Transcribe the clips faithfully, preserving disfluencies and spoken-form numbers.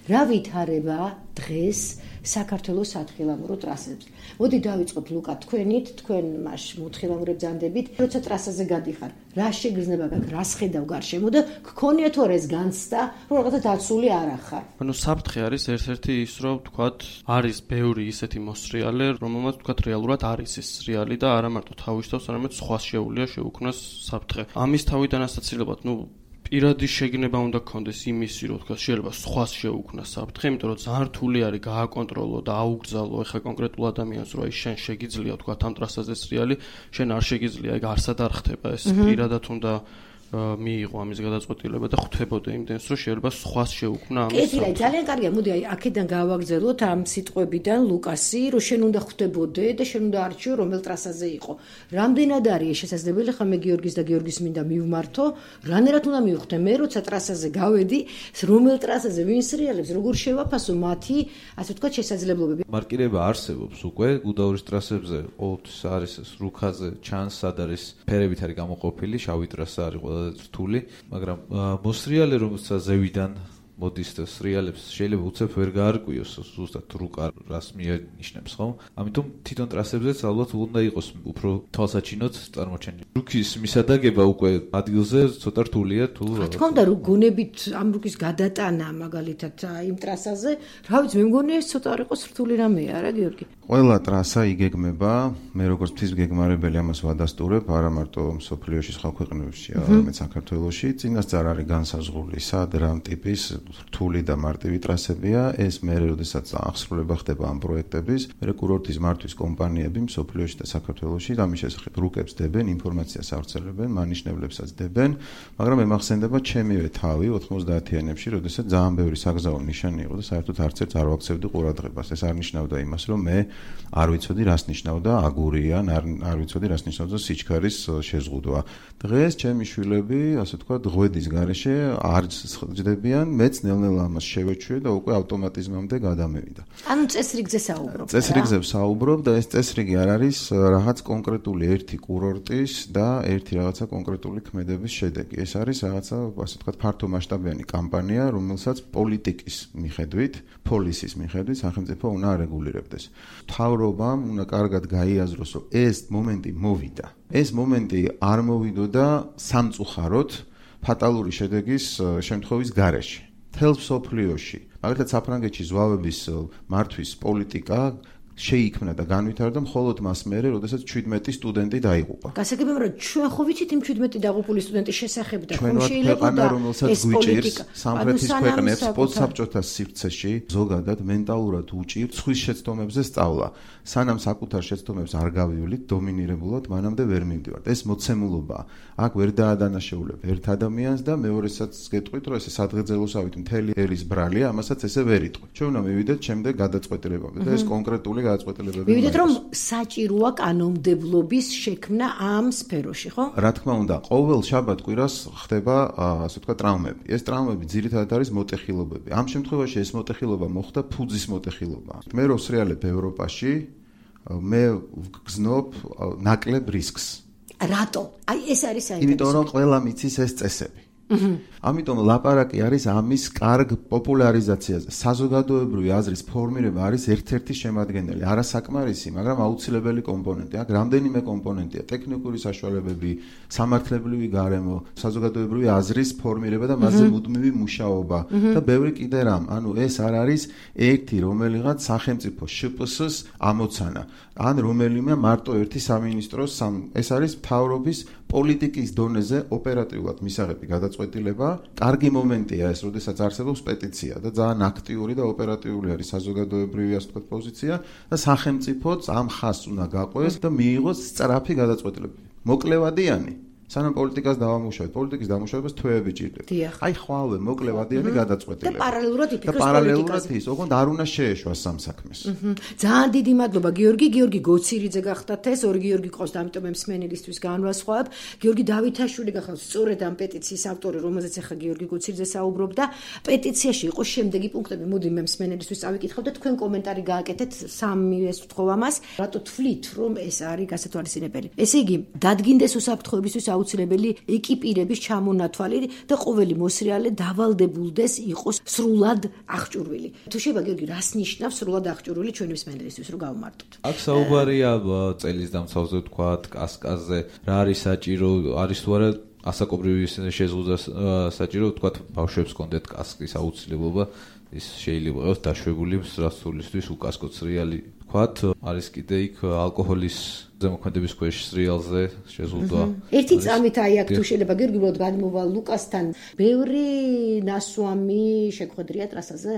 რა ვითარება დღეს საქართველოს სათხილამურო ტრასებს. მოდი დავიწყოთ ლუკა თქვენით, თქვენ მას მოთხილამურებ ძანდებით, როცა ტრასაზე გადიხარ, რა შეგრძნება გაქვს, რა სხედავ გარშემო და გქონია თუ არა ეს განცდა, რომ რაღაცა დაცული არ ახარ. ანუ საფრთხე არის ერთ-ერთი ის, რომ თქვათ, არის ბევრი ისეთი მოსრიალე, რომელმაც თქვათ რეალურად არის ეს რეალი და არა მარტო თავისთავს, არამედ სხვას შეუძლია შეუქმნას საფრთხე. ამის თავიდან ასაცილებლად, ნუ პირადი შეგნება უნდა გქონდეს იმისი, რომ თქვა შეიძლება სხვას შეუქმნას საფრთხე, იმიტომ რომ ძალიან რთული არის გააკონტროლო და აუგზავნო ეხა კონკრეტულ ადამიანს, რომ აი შენ შეგიძლია თქვა ამ ტრასაზე სრიალი, შენ არ შეგიძლია, ეგ არსად არ ხდება ეს პირადად უნდა მიიღო ამის გადაწყვეტილება და ხვდებოდა იმდენს, რომ შეიძლება სხვას შეუქმნა ამის. კეთილი, ძალიან კარგია. მოდი აი აქედან გავაგზავნოთ ამ სიტყვებიდან ლუკასი, რომ შენ უნდა ხვდებოდე და შენ უნდა არჩიო რომელ ტრასაზე იყო. რამდენად არის შესაძლებელი, ხა მე გიორგის და გიორგის მინდა მივმართო, რანერად უნდა მივხვდე მე, როცა ტრასაზე გავედი, რომელ ტრასაზე ვინ სრიალებს, როგორ შევაფასო მათი, ასე ვთქვათ, შესაძლებლობები. მარკირება არსებობს უკვე გუდაურის ტრასებზე, ყოველთვის არის რუქაზე, ჩანს, სად არის ფერებით არის გამოყოფილი, შავი ტრასა არის რთული, მაგრამ მოსრიალე რომელსაც ზევიდან მოდის და სრიალებს შეიძლება უცებ ვერ გაარკვიოს ზუსტად რუკა რას მიანიშნებს, ხო? ამიტომ თვითონ ტრასებზეც ალბათ უნდა იყოს უფრო თვალსაჩინოდ წარმოჩენილი. რუკის მისადაგება უკვე ადგილზე ცოტა რთულია თუ რა თქმა უნდა, რო გონებით ამ რუკის გადატანა მაგალითად იმ ტრასაზე, რა ვიცი, მე მგონია ეს ცოტა არ იყოს რთული რამეა, არა გიორგი? ყველა ტრასა იგეგმება, მე როგორც მთის გეგმარებელი ამას ვადასტურებ, არა მარტო მსოფლიოში, სხვა ქვეყნებში, არამედ საქართველოში, წინასწარ არის განსაზღვრული სად რა ტიპის რთული და მარტივი ტრასებია, ეს მერე როდესაც აღსრულება ხდება ამ პროექტების, მერე კურორტის მართვის კომპანიები მსოფლიოში და საქართველოში ამის შესახებ რუკებს დებენ, ინფორმაციას ავრცელებენ, მანიშნებლებსაც დებენ, მაგრამ ემახსენდება ჩემივე თავი ოთხმოცდაათიანებში, როდესაც ძალიან ბევრი საგზაო ნიშანი იყო და საერთოდ არც ერთ არ ვაქცევდი ყურადღებას. ეს არ ნიშნავდა იმას, რომ მე არ ვიცოდი რას ნიშნავდა აგურიან, არ, არ ვიცოდი რას ნიშნავდა სიჩქარის შეზღუდვა. დღეს ჩემი შვილები, ასე ვთქვათ, ღვედის გარეშე არ ჯდებიან, მეც ნელ-ნელა ამას შევეჩვიე და უკვე ავტომატიზმამდე გადამევიდა. ანუ წესრიგზე საუბრობ. წესრიგზე საუბრობ და ეს წესრიგი არ არის რაღაც კონკრეტული ერთი კურორტის და ერთი რაღაცა კონკრეტული ქმედების შედეგი. ეს არის რაღაცა, ასე ვთქვათ, ფართომასშტაბიანი კამპანია, რომელსაც პოლიტიკის მიხედვით, პოლისის მიხედვით სახელმწიფო უნდა არეგულირებდეს. მთავრობამ უნდა კარგად გაიაზროს, რომ ეს მომენტი მოვიდა. ეს მომენტი არ მოვიდოდა სამწუხაროდ ფატალური შედეგის შემთხვევის გარეშე. მთელ მსოფლიოში, მაგალითად საფრანგეთში ზვავების მართვის პოლიტიკა შეიქმნა და განვითარდა მხოლოდ მას მერე, როდესაც შვიდმეტი სტუდენტი დაიღუპა. გასაგებია, რომ ჩვენ ხო ვიცით იმ შვიდმეტი დაღუპული სტუდენტის შესახებ და ჩვენ შეიძლება და რომელსაც გვიჭირს სამხრეთის ქვეყნებს პოსტსაბჭოთა სივრცეში ზოგადად მენტალურად უჭირთ სხვის შეცდომებზე სწავლა. სანამ საკუთარ შეცდომებს არ გავივლით დომინირებულად, მანამდე ვერ მივდივართ. ეს მოცემულობაა. აქ ვერ დაადანაშაულებ ერთ ადამიანს და მეორესაც გეტყვით, რომ ესე სადღეძელოსავით მთელი ერის ბრალია, ამასაც ესე ვერ იტყვით. ჩვენ უნდა მივიდეთ შემდეგ გადაწყვეტილებამდე და ეს კონკრეტული გადაწყვეტილებები. მივიდეთ, რომ საჭიროა კანონმდებლობის შექმნა ამ სფეროში, ხო? რა თქმა უნდა, ყოველ შაბათ-კვირას ხდება, ასე ვთქვათ, ტრამვები. ეს ტრამვები ძირითადად არის მოტეხილობები. ამ შემთხვევაში ეს მოტეხილობა მოხდა ფუძის მოტეხილობა. მე რო სრიალებ ევროპაში, მე ვგზნობ ნაკლებ რისკს. რატო? აი ეს არის საინტერესო. იმიტომ რომ ყველა მიცის ეს წესები. ამიტომ ლაპარაკი არის ამის კარგ პოპულარიზაციაზე. საზოგადოებრივი აზრის ფორმირება არის ერთ-ერთი შემადგენელი, არა საკმარისი, მაგრამ აუცილებელი კომპონენტი. აქ რამდენიმე კომპონენტია: ტექნიკური საშუალებები, სამართლებრივი გარემო, საზოგადოებრივი აზრის ფორმირება და მასზე მუდმივი მუშაობა და ბევრი კიდე რამ. ანუ ეს არ არის ერთი რომელიღაც სახელმწიფო შპს-ს ამოცანა, ან რომელიმე მარტო ერთი სამინისტროს, ეს არის მთავრობის პოლიტიკის დონეზე ოპერატიულად მისაღები გადაწყვეტილება. კარგი მომენტია ეს, როდესაც არსებობს პეტიცია და ძალიან აქტიური და ოპერატიული არის საზოგადოებრივი, ასე ვთქვათ, პოზიცია და სახელმწიფოც ამ ხაზს უნდა გაყვეს და მიიღოს სწრაფი გადაწყვეტილებები. მოკლევადიანი სანამ პოლიტიკას დავამუშავებთ, პოლიტიკის დამუშავებას თვეები ჭირდება. აი ხვალე მოკლევადიანი გადაწყვეტილება. და პარალელურად იფიქროს პოლიტიკაზე. და პარალელურად ის, ოღონდ არ უნდა შეეშვას სამ საქმეს. ძალიან დიდი მადლობა გიორგი, გიორგი გოცირიძე გახდათ ეს, ორი გიორგი ყავს და ამიტომ მსმენელისთვის განვასხვავებ. გიორგი დავითაშვილი გახდათ სწორედ ამ პეტიციის ავტორი, რომელზეც ახლა გიორგი გოცირიძე საუბრობდა. პეტიციაში იყო შემდეგი პუნქტები, მოდი მე მსმენელისთვის წავიკითხავ და თქვენ კომენტარი გააკეთეთ სამივეს ვთხოვ ამას. რატო თვლით, რომ ეს არის გასათვალისწინებელი? ესე იგი, დადგინდეს უსაფრთხოებისთვის აუცილებელი ეკიპირების ჩამონათვალი და ყოველი მოსრიალე დავალდებულდეს იყოს სრულად აღჭურვილი. თუ შეიძლება გიორგი, რას ნიშნავს სრულად აღჭურვილი ჩვენი მსმენელისთვის, რომ გავმარტოთ? აქ საუბარია წელის დამცავზე თქვა, კასკაზე, რა არის საჭირო, არის თუ არა ასაკობრივი შეზღუდვა საჭირო, თქვა ბავშვებს კონდეთ კასკის აუცილებლობა, ის შეიძლება იყოს დაშვებული მსრასულისთვის უკასკო სრიალი. თქვათ, არის კიდე იქ ალკოჰოლის ზემოქმედების ქვეშ სრიალზე შეზღუდვა. ერთი წამით აი აქ თუ შეიძლება გიორგი უბრალოდ გადმოვალ ლუკასთან, ბევრი ნასვამი შეგვხედრია ტრასაზე?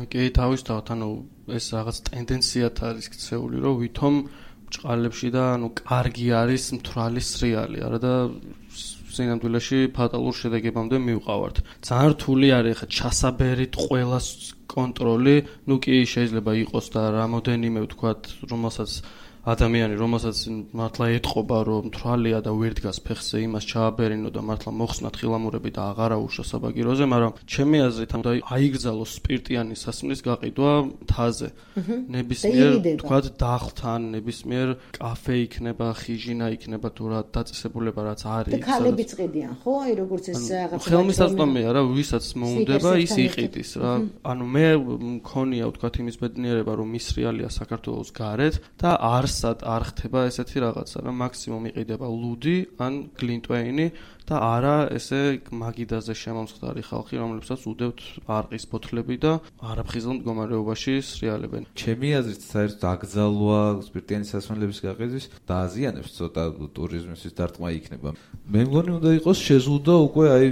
კი, თავისთავად, ანუ ეს რაღაც ტენდენციათ არის ქცეული, რომ ვითომ ჭყალებში და ანუ კარგი არის მთვრალი სრიალი, არა და სინამდვილეში ფატალურ შედეგებამდე მივყავართ. ძალიან რთული არის ხა ჩასაბერით ყველას კონტროლი, ნუ კი შეიძლება იყოს და რამოდენიმე ვთქვათ, რომელსაც ადამიანი, რომელსაც მართლა ეტყობა, რომ მთვრალია და ვერ დგას ფეხზე, იმას ჩააბერინო და მართლა მოხსნათ ხილამურები და აღარა უშვა საბაგიროზე, მაგრამ ჩემი აზრით უნდა აიგრძალოს სპირტიანი სასმლის გაყიდვა მთაზე. ნებისმიერ ვთქვათ დახლთან, ნებისმიერ კაფე იქნება, ხიჟინა იქნება თუ რა დაწესებულება რაც არის. და ქალებიც ყიდიან, ხო? აი როგორც ეს რაღაცა. ხელმისაწვდომია რა, ვისაც მოუნდება, ის იყიდის რა. ანუ მე მქონია ვთქვათ იმის ბედნიერება, რომ ის რეალია საქართველოს გარეთ და არ არ ხდება ესეთი რაღაცა, რომ მაქსიმუმ იყიდება ლუდი ან გლინტვეინი და არა ესე მაგიდაზე შემომსხდარი ხალხი, რომლებსაც უდევთ არყის ბოთლები და არაფხიზელ მდგომარეობაში სრიალებენ. ჩემი აზრით, საერთოდ აკრძალვა სპირტიანი სასმელების გაყიდვის დააზიანებს ცოტა ტურიზმის დარტყმა იქნება. მე მგონი უნდა იყოს შეზღუდვა უკვე აი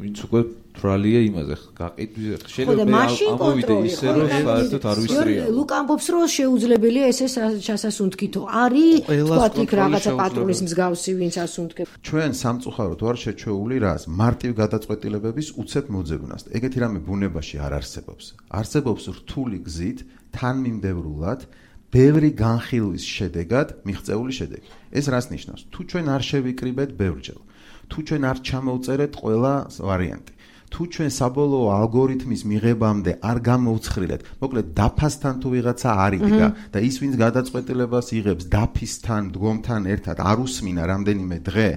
ვინც უკვე თვრალია იმაზე გაყიდვის შეიძლება ამოვიდე ისე რომ საერთოდ არ ვისრია. ლუკა ამბობს რომ შეუძლებელია ესე ჩასასუნთქითო. არის თქვათ იქ რაღაცა პატრულის მსგავსი ვინც ასუნთქებს. ჩვენ სამწუხაროდ ვარ შეჩეული რას მარტივ გადაწყვეტილებების უცებ მოძებნას. ეგეთი რამე ბუნებაში არ არსებობს. არსებობს რთული გზით თანმიმდევრულად ბევრი განხილვის შედეგად მიღწეული შედეგი. ეს რას ნიშნავს? თუ ჩვენ არ შევიკრიბეთ ბევრჯერ, თუ ჩვენ არ ჩამოვწერეთ ყველა ვარიანტი, თუ ჩვენ საბოლოო ალგორითმის მიღებამდე არ გამოვცხრილეთ, მოკლედ დაფასთან თუ ვიღაცა არიდგა და ის ვინც გადაწყვეტილებას იღებს დაფისთან, დგომთან ერთად არ უსმინა რამდენიმე დღე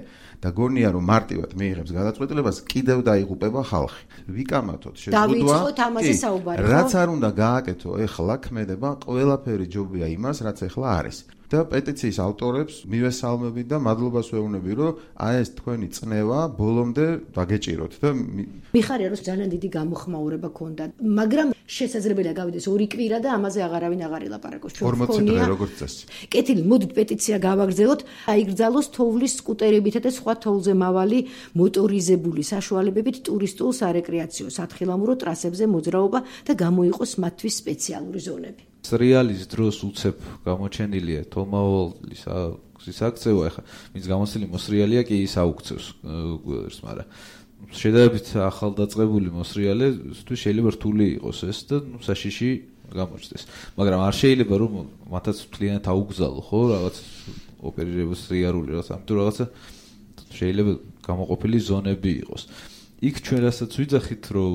და გონია რომ მარტივად მიიღებს გადაწყვეტილებას, კიდევ დაიღუპება ხალხი. ვიკამათოთ შეზღუდვა. დავიწყოთ ამაზე საუბარი. რაც არ უნდა გააკეთო ეხლა ქმედება ყველაფერი ჯობია იმას, რაც ეხლა არის. და პეტიციის ავტორებს მივესალმები და მადლობას ვეუბნები, რომ აი ეს თქვენი წნევა ბოლომდე დაგეჭიროთ და მიხარია რომ ძალიან დიდი გამოხმაურება ქონდა, მაგრამ შესაძლებელია გავიდეს ორი კვირა და ამაზე აღარავინ აღარ ელაპარაკოს. ჩვენ ორმოცი დღე როგორც წესი. კეთილი, მოდით პეტიცია გავაგრძელოთ, აიგრძალოს თოვლის სკუტერებითა და სხვა თოვლზე მავალი მოტორიზებული საშუალებებით ტურისტულ სარეკრეაციო სათხილამურო ტრასებზე მოძრაობა და გამოიყოს მათთვის სპეციალური ზონები. სრიალის დროს უცებ გამოჩენილია თომაოლის გზის აქცევა, ახლა ვინც გამოცდილი მოსრიალია კი ის აუქცევს გვერდს, მაგრამ შედარებით ახალდაწყებული მოსრიალეთვის შეიძლება რთული იყოს ეს და საშიში გამოჩნდეს. მაგრამ არ შეიძლება რომ მათაც მთლიანად აუგზალო, ხო, რაღაც ოპერირების სრიალური რაღაც, ამიტომ რაღაცა შეიძლება გამოყოფილი ზონები იყოს. იქ ჩვენ რასაც ვიძახით, რომ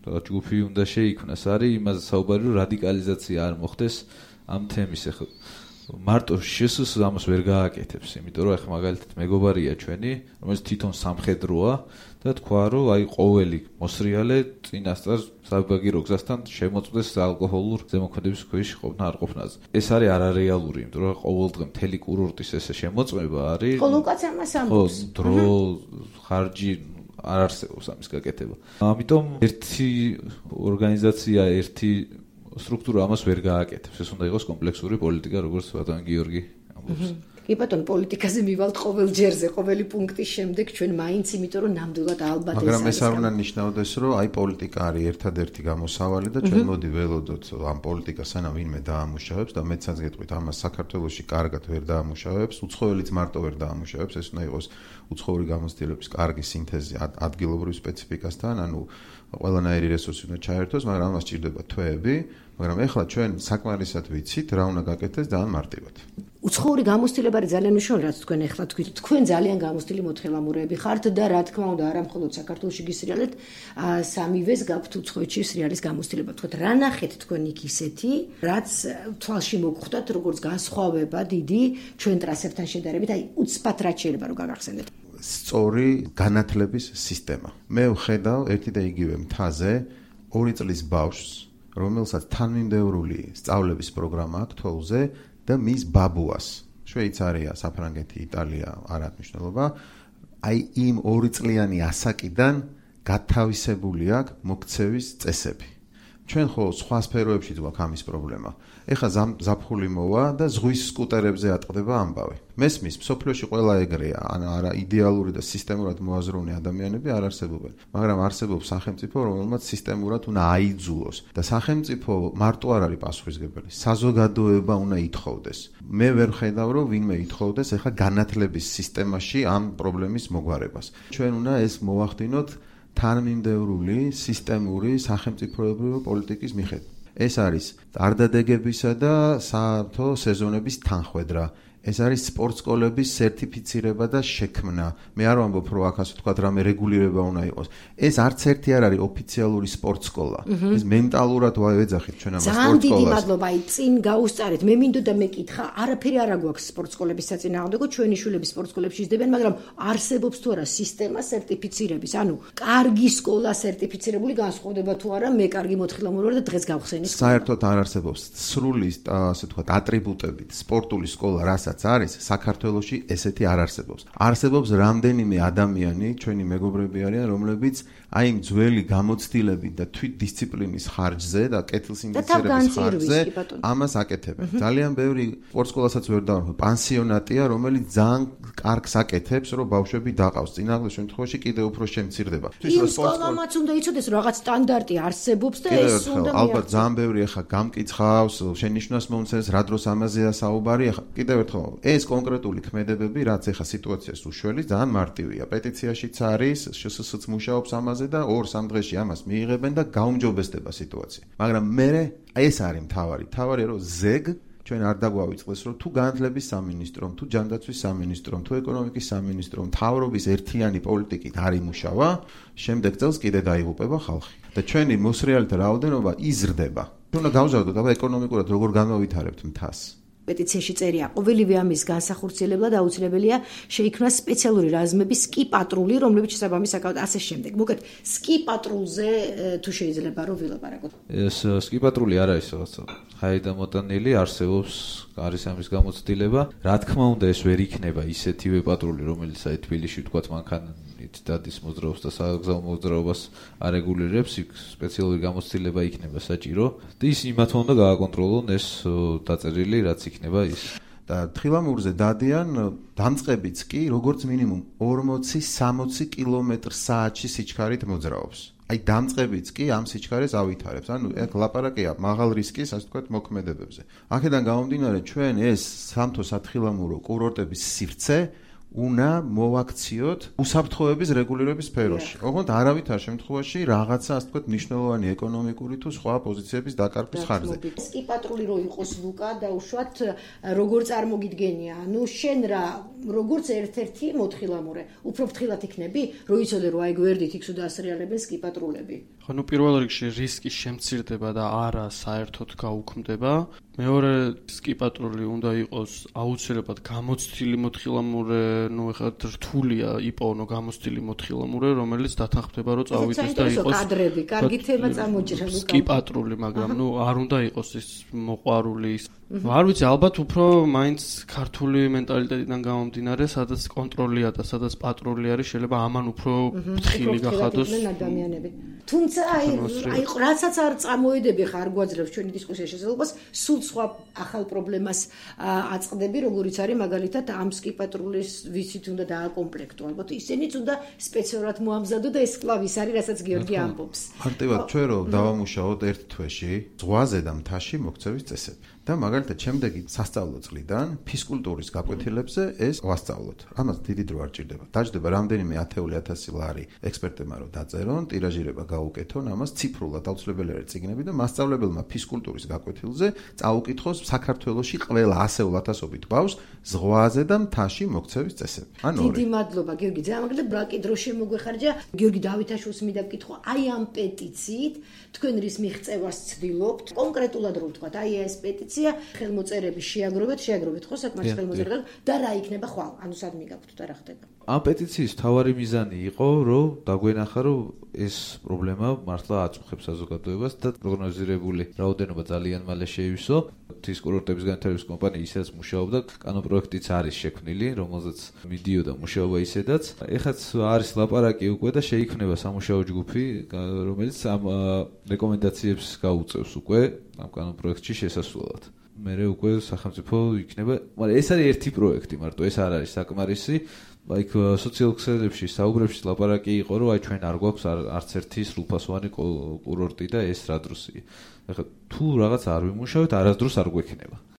ჯგუფი უნდა შეიქმნას, არის იმაზე საუბარი, რომ რადიკალიზაცია არ მოხდეს ამ თემის. ახლა მარტო შესს ამას ვერ გააკეთებს, იმიტომ რომ ახლა მაგალითად მეგობარია ჩვენი, რომელიც თვითონ სამხედროა და თქვა, რომ აი ყოველი მოსრიალე წინასწარ საბაგირო გზასთან შემოწმდეს ალკოჰოლურ ზემოქმედების ქვეშ ყოფნა არ ყოფნაზე. ეს არის არარეალური, იმიტომ რომ ყოველდღე მთელი კურორტის ესე შემოწმება არის. ხოლო უკაც ამას ამბობს. დრო, ხარჯი არ არსებობს ამის გაკეთება. ამიტომ ერთი ორგანიზაცია, ერთი სტრუქტურა ამას ვერ გააკეთებს. ეს უნდა იყოს კომპლექსური პოლიტიკა, როგორც ბატონი გიორგი ამბობს. კი ბატონო, პოლიტიკაზე მივალთ ყოველ ჯერზე, ყოველი პუნქტის შემდეგ ჩვენ მაინც, იმიტომ რომ ნამდვილად ალბათ ეს არის. მაგრამ ეს არ უნდა ნიშნავდეს, რომ აი პოლიტიკა არის ერთადერთი გამოსავალი და ჩვენ მოდი ველოდოთ ამ პოლიტიკას სანამ ვინმე დაამუშავებს და მეცაც გეტყვით, ამას საქართველოში კარგად ვერ დაამუშავებს, უცხოელიც მარტო ვერ დაამუშავებს, ეს უნდა იყოს უცხოური გამოცდილების კარგი სინთეზი ადგილობრივ სპეციფიკასთან, ანუ ყველანაირი რესურსი უნდა ჩაერთოს, მაგრამ ამას სჭირდება თვეები, მაგრამ ეხლა ჩვენ საკმარისად ვიცით რა უნდა გაკეთდეს ძალიან მარტივად. უცხოური გამოცდილება არის ძალიან მნიშვნელოვანი, რაც თქვენ ეხლა თქვით. თქვენ ძალიან გამოცდილი მოთხილამურეები ხართ და რა თქმა უნდა, არა მხოლოდ საქართველოში გისრიალეთ, სამივეს გაქვთ უცხოეთში სრიალის გამოცდილება. თქვათ, რა ნახეთ თქვენ იქ ისეთი, რაც თვალში მოგხვდათ, როგორც განსხვავება დიდი ჩვენ ტრასებთან შედარებით, აი უცბად რაც შეიძლება რომ გაგახსენდეთ. სწორი განათლების სისტემა. მე ვხედავ ერთი და იგივე მთაზე ორი წლის ბავშვს, რომელსაც თანმიმდევრული სწავლების პროგრამა აქვს თოვლზე და მის ბაბუას. შვეიცარია, საფრანგეთი, იტალია, არ აქვს მნიშვნელობა. აი იმ ორი წლიანი ასაკიდან გათავისებული აქვს მოქცევის წესები. ჩვენ ხო სხვა სფეროებშიც გვაქვს ამის პრობლემა. ეხლა ზაფხული მოვა და ზღვის სკუტერებზე ატყდება ამბავი. მესმის, მსოფლიოში ყველა ეგრეა, ან არა იდეალური და სისტემურად მოაზროვნე ადამიანები არ არსებობენ, მაგრამ არსებობს სახელმწიფო, რომელმაც სისტემურად უნდა აიძულოს და სახელმწიფო მარტო არ არის პასუხისმგებელი, საზოგადოება უნდა ითხოვდეს. მე ვერ ხედავ, რომ ვინმე ითხოვდეს ეხლა განათლების სისტემაში ამ პრობლემის მოგვარებას. ჩვენ უნდა ეს მოვახდინოთ თანმიმდევრული სისტემური სახელმწიფოებრივი პოლიტიკის მიხედვით. ეს არის არდადეგებისა და საათო სეზონების თანხwebdriver. ეს არის სპორტ სკოლების სერტიფიცირება და შექმნა. მე არ ვამბობ, რომ აქ ასე ვთქვათ, რამე რეგულირება უნდა იყოს. ეს არც ერთი არ არის ოფიციალური სპორტ სკოლა. ეს მენტალურად ვეძახით ჩვენ ამ სპორტ სკოლას. ძალიან დიდი მადლობა, აი წინ გაუსწარეთ. მე მინდოდა მეკითხა, არაფერი არ აგვაქვს სპორტ სკოლების საწინააღმდეგო, ჩვენი შვილები სპორტ სკოლებში ისდებიან, მაგრამ არსებობს თუ არა სისტემა სერტიფიცირების. ანუ კარგი სკოლა სერტიფიცირებული განსხვავდება თუ არა, მე კარგი მოთხილამური ვარ და დღეს გავხსენი. საერთოდ არ არსებობს სრული, ასე ვთქვათ, ატრიბუტებით სპორტული სკოლა, რასაც არის საქართველოში ესეთი არ არსებობს. არსებობს რამდენიმე ადამიანი, ჩვენი მეგობრები არიან, რომლებიც აი იმ ძველი გამოცდილებით და თვით დისციპლინის ხარჯზე და კეთილსინდისიერების ხარჯზე ამას აკეთებენ. ძალიან ბევრი სპორტ სკოლასაც ვერ დავარქვა, პანსიონატია, რომელიც ძალიან კარგს აკეთებს, რომ ბავშვები დაყავს. წინააღმდეგ შემთხვევაში კიდევ უფრო შემცირდება. იმ სკოლამაც უნდა იცოდეს, რომ რაღაც სტანდარტი არსებობს და ეს უნდა ალბათ ძალიან ბევრი ახლა გამკითხავს, შენიშვნას მომცეს, რა დროს ამაზეა საუბარი, ახლა კიდევ ერთხელ ეს კონკრეტული ქმედებები, რაც ახლა სიტუაციას უშველის, ძალიან მარტივია. პეტიციაშიც არის, შსს-ც მუშაობს ამაზე და ორ-სამ დღეში ამას მიიღებენ და გაუმჯობესდება სიტუაცია. მაგრამ მე ეს არის მთავარი. მთავარია, რომ ზეგ ჩვენ არ დაგვავიწყდეს, რომ თუ განათლების სამინისტრომ, თუ ჯანდაცვის სამინისტრომ, თუ ეკონომიკის სამინისტრომ, მთავრობის ერთიანი პოლიტიკით არ იმუშავა, შემდეგ წელს კიდე დაიღუპება ხალხი. და ჩვენი მოსრიალთა რაოდენობა იზრდება. ჩვენ უნდა გავზარდოთ, აბა ეკონომიკურად როგორ განავითარებთ მთას. პეტიციაში წერია, ყოველივე ამის განსახორციელებლად აუცილებელია შეიქმნა სპეციალური რაზმები სკი პატრული, რომლებიც შესაბამის აკავთ ასე შემდეგ. მოგეთ, სკი პატრულზე თუ შეიძლება რომ ვილაპარაკოთ. ეს სკი პატრული არ არის რაღაცა ჰაიდა მოტანილი, არსებობს არის ამის გამოცდილება. რა თქმა უნდა, ეს ვერ იქნება ისეთივე პატრული, რომელიც აი თბილისში ვთქვათ მანქანით დადის მოძრაობს და საგზაო მოძრაობას არეგულირებს, იქ სპეციალური გამოცდილება იქნება საჭირო. და ის იმათ უნდა გააკონტროლონ ეს დაწერილი, რაც იქნება ის. და თხილამურზე დადიან დამწყებიც კი როგორც მინიმუმ ორმოცი სამოცი კილომეტრ საათში სიჩქარით მოძრაობს. აი დამწყებიც კი ამ სიჩქარეს ავითარებს. ანუ ეგ ლაპარაკია მაღალ რისკის, ასე ვთქვათ, მოქმედებებზე. აქედან გამომდინარე, ჩვენ ეს სამთო სათხილამურო კურორტების სივრცე უნდა მოვაქციოთ უსაფრთხოების რეგულირების სფეროში. ოღონდ არავითარ შემთხვევაში რაღაცა, ასე ვთქვათ, მნიშვნელოვანი ეკონომიკური თუ სხვა პოზიციების დაკარგვის ხარჯზე. სკი პატრული რო იყოს ლუკა და უშუალოდ როგორ წარმოგიდგენია, ანუ შენ რა როგორც ერთ-ერთი მოთხილამურე, უფრო ფრთხილად იქნები, რო იცოდე რომ აი გვერდით იქ სულ ასრიალებენ სკი პატრულები. ხო, ნუ პირველ რიგში რისკი შემცირდება და არა საერთოდ გაუქმდება. მეორე სკი პატრული უნდა იყოს აუცილებლად გამოცდილი მოთხილამურე, ну ეხლა რთულია იპოვნო გამოცდილი მოთხილამურე, რომელიც დათანხმდება რომ წავიდეს და იყოს კადრები, კარგი თემა წამოჭრა ლუკა. სკი პატრული, მაგრამ ну არ უნდა იყოს ის მოყვარული. არ ვიცი, ალბათ უფრო მაინც ქართული მენტალიტეტიდან გამომდინარე, სადაც კონტროლია და სადაც პატრული არის, შეიძლება ამან უფრო ფრთხილი გახადოს ადამიანები. თუმცა აი აი რასაც არ წამოედები ხარ გვაძლევს ჩვენი დისკუსიის შესაძლებლობას, სულ სხვა ახალ პრობლემას აწყდები, როგორიც არის მაგალითად ამ სკი პატრულის ვიცით უნდა დააკომპლექტო. ალბათ ისინიც უნდა სპეციალურად მოამზადო და ეს კლავ ის არის, რასაც გიორგი ამბობს. მარტივად ჩვენ რომ დავამუშაოთ ერთ თვეში ზღვაზე და მთაში მოქცევის წესები. და მაგალითად შემდეგი სასწავლო წლიდან ფიზკულტურის გაკვეთილებზე ეს ვასწავლოთ. ამას დიდი დრო არ ჭირდება. დაждდება რამდენიმე ათეული ათასი ლარი ექსპერტებმა რომ დაწერონ, ტირაჟირება გაუკეთონ გაუკეთონ ამას ციფრულად აუცილებელი არის წიგნები და მასწავლებელმა ფიზკულტურის გაკვეთილზე წაუკითხოს საქართველოში ყველა ასეულ ათასობით ბავშვს ზღვაზე და მთაში მოქცევის წესები. ანუ დიდი მადლობა გიორგი, ძალიან მაგალითად ბრაკი დრო შემოგვეხარჯა. გიორგი დავითაშვილს მინდა ვკითხო, აი ამ პეტიციით თქვენ რის მიღწევას ცდილობთ? კონკრეტულად რო ვთქვათ, აი ეს პეტიცია ხელმოწერები შეაგროვეთ, შეაგროვეთ ხო საკმარისი ხელმოწერები და რა იქნება ხვალ? ანუ სად მიგაქვთ და რა ხდება? ამ პეტიციის თავარი მიზანი იყო, რომ დაგვენახა, რომ ეს პრობლემა მართლა აწუხებს საზოგადოებას და პროგნოზირებული რაოდენობა ძალიან მალე შეივსო. ღვთის კურორტების განვითარების კომპანია ისედაც მუშაობდა, კანონპროექტიც არის შექმნილი, რომელზეც მიდიოდა მუშაობა ისედაც. ეხაც არის ლაპარაკი უკვე და შეიქმნება სამუშაო ჯგუფი, რომელიც ამ რეკომენდაციებს გაუწევს უკვე ამ კანონპროექტში შესასვლელად. მერე უკვე სახელმწიფო იქნება, მაგრამ ეს არის ერთი პროექტი, მარტო ეს არ არის საკმარისი. აი სოციალურ ქსელებში, საუბრებში ლაპარაკი იყო, რომ აი ჩვენ არ გვაქვს არც ერთი სრულფასოვანი კურორტი და ეს რა დროსია. ეხლა თუ რაღაც არ ვიმუშავეთ, არასდროს არ გვექნება.